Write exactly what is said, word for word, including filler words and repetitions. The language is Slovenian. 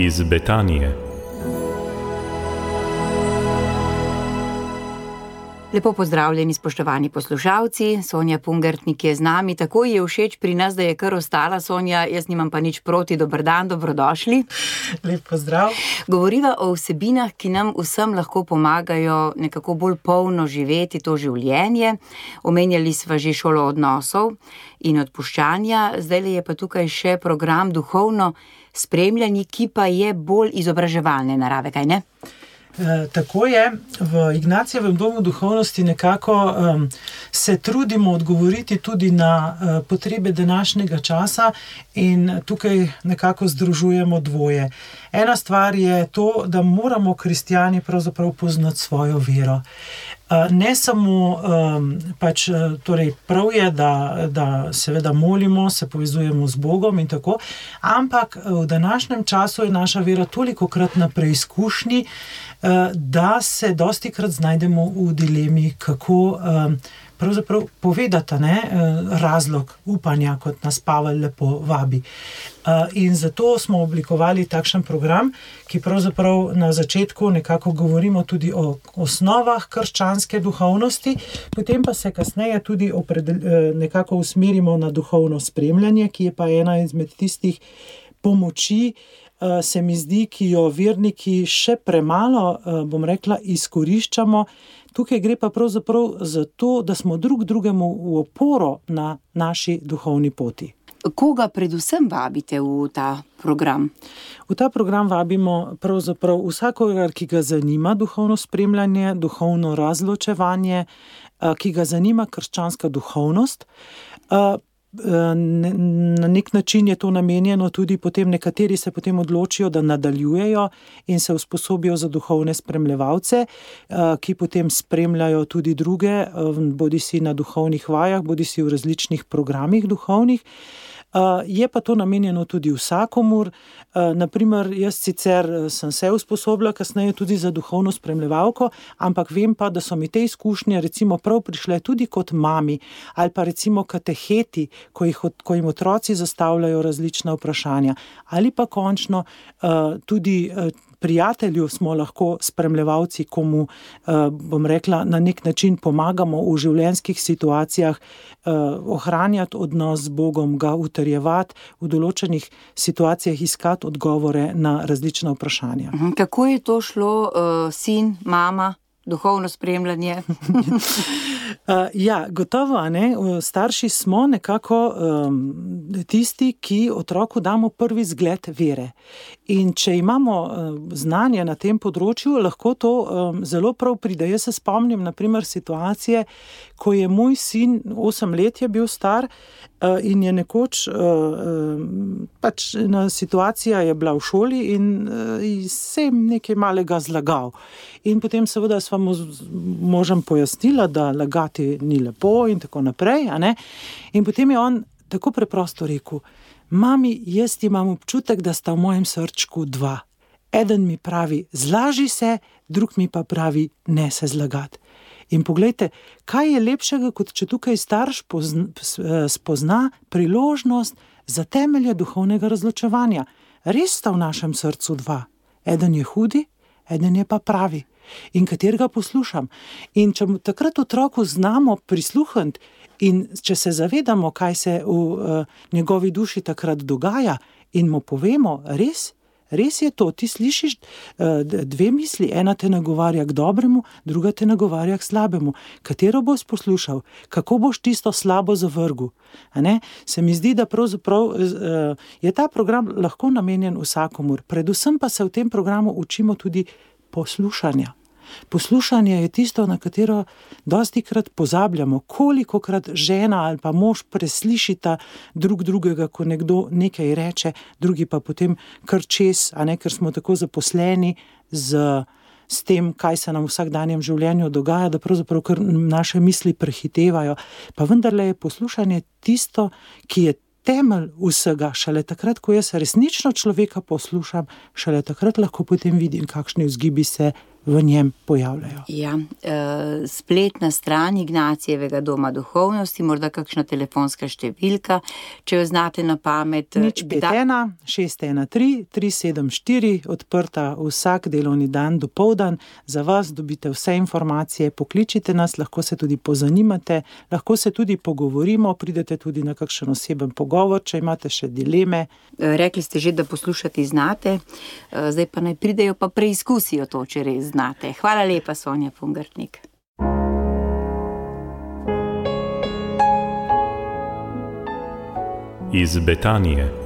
iz Betanije. Lepo pozdravljeni, spoštovani poslušalci. Sonja Pungartnik je z nami. Tako je všeč pri nas, da je kar ostala. Sonja, jaz nimam pa nič proti. Dober dan, dobrodošli. Lep pozdrav. Govoriva o vsebinah, ki nam vsem lahko pomagajo nekako bolj polno živeti to življenje. Omenjali sva že šolo odnosov in odpuščanja. Zdaj je pa tukaj še program duhovno spremljanje, ki pa je bolj izobraževalne narave, kaj ne? E, tako je, v Ignacijevem domu duhovnosti nekako um, se trudimo odgovoriti tudi na uh, potrebe današnjega časa in tukaj nekako združujemo dvoje. Ena stvar je to, da moramo kristjani pravzaprav poznati svojo vero. Ne samo, um, pač, torej prav je, da, da seveda molimo, se povezujemo z Bogom in tako, ampak v današnjem času je naša vera tolikokrat na preizkušnji, da se dostikrat znajdemo v dilemi, kako um, pravzaprav povedati, ne, razlog upanja, kot nas Pavel lepo vabi. In zato smo oblikovali takšen program, ki pravzaprav na začetku nekako govorimo tudi o osnovah krščanske duhovnosti, potem pa se kasneje tudi opredel, nekako usmerimo na duhovno spremljanje, ki je pa ena izmed tistih pomoči, se mi zdi, ki jo verniki še premalo, bom rekla, izkoriščamo. Tukaj gre pa pravzaprav za to, da smo drug drugemu v oporo na naši duhovni poti. Koga predvsem vabite v ta program? V ta program vabimo pravzaprav vsakogar, ki ga zanima duhovno spremljanje, duhovno razločevanje, ki ga zanima krščanska duhovnost. Na nek način je to namenjeno tudi potem, nekateri se potem odločijo, da nadaljujejo in se usposobijo za duhovne spremljevalce, ki potem spremljajo tudi druge, bodisi na duhovnih vajah, bodisi v različnih programih duhovnih. Je pa to namenjeno tudi vsakomur. Naprimer, jaz sicer sem se usposobila kasneje tudi za duhovno spremljevalko, ampak vem pa, da so mi te izkušnje recimo prav prišle tudi kot mami ali pa recimo kateheti, ko, jih, ko jim otroci zastavljajo različna vprašanja. Ali pa končno tudi prijatelju smo lahko spremljevalci, komu, bom rekla, na nek način pomagamo v življenjskih situacijah ohranjati odnos z Bogom, ga utrjevati, v določenih situacijah iskati odgovore na različna vprašanja. Kako je to šlo, sin, mama, duhovno spremljanje? Uh, ja, gotovo, a ne, starši smo nekako um, tisti, ki otroku damo prvi zgled vere. In če imamo um, znanje na tem področju, lahko to um, zelo prav pride. Jaz se spomnim, na primer, situacije, ko je moj sin, osem let je bil star, uh, in je nekoč, uh, pač ena situacija je bila v šoli in uh, se je nekaj malega zlagal. In potem seveda sva mu možem pojasnila, da lagati ni lepo in tako naprej, a ne? In potem je on tako preprosto rekel: mami, jaz imam občutek, da sta v mojem srčku dva. Eden mi pravi, zlaži se, drug mi pa pravi, ne se zlagati. In poglejte, kaj je lepšega, kot če tukaj starš pozna, spozna priložnost za temelje duhovnega razločevanja. Res sta v našem srcu dva. Eden je hudi, eden je pa pravi. In katerega poslušam. In če takrat otroku znamo prisluhniti in če se zavedamo, kaj se v uh, njegovi duši takrat dogaja in mu povemo, res, res je to, ti slišiš uh, dve misli, ena te nagovarja k dobremu, druga te nagovarja k slabemu. Katero boš poslušal? Kako boš tisto slabo zavrgel? A ne? Se mi zdi, da pravzaprav uh, je ta program lahko namenjen vsakomur. Predvsem pa se v tem programu učimo tudi poslušanja. Poslušanje je tisto, na katero dostikrat pozabljamo, kolikokrat žena ali pa mož preslišita drug drugega, ko nekdo nekaj reče, drugi pa potem kar čez, a ne, ker smo tako zaposleni z, s tem, kaj se nam v vsakdanjem življenju dogaja, da pravzaprav kar naše misli prehitevajo. Pa vendarle je poslušanje tisto, ki je temelj vsega. Šele takrat, ko jaz resnično človeka poslušam, šele takrat lahko potem vidim, kakšni vzgibi se v njem pojavljajo. Ja, uh, spletna stran Ignacijevega doma duhovnosti, morda kakšna telefonska številka, če jo znate na pamet. Nič pet ena, šest ena tri, tri sedem štiri, odprta vsak delovni dan dopoldan. Za vas dobite vse informacije, pokličite nas, lahko se tudi pozanimate, lahko se tudi pogovorimo, pridete tudi na kakšen oseben pogovor, če imate še dileme. Rekli ste že, da poslušati znate, zdaj pa naj pridejo pa preizkusijo to, če res znate. Hvala lepa, Sonja Pungartnik. Iz Betanije.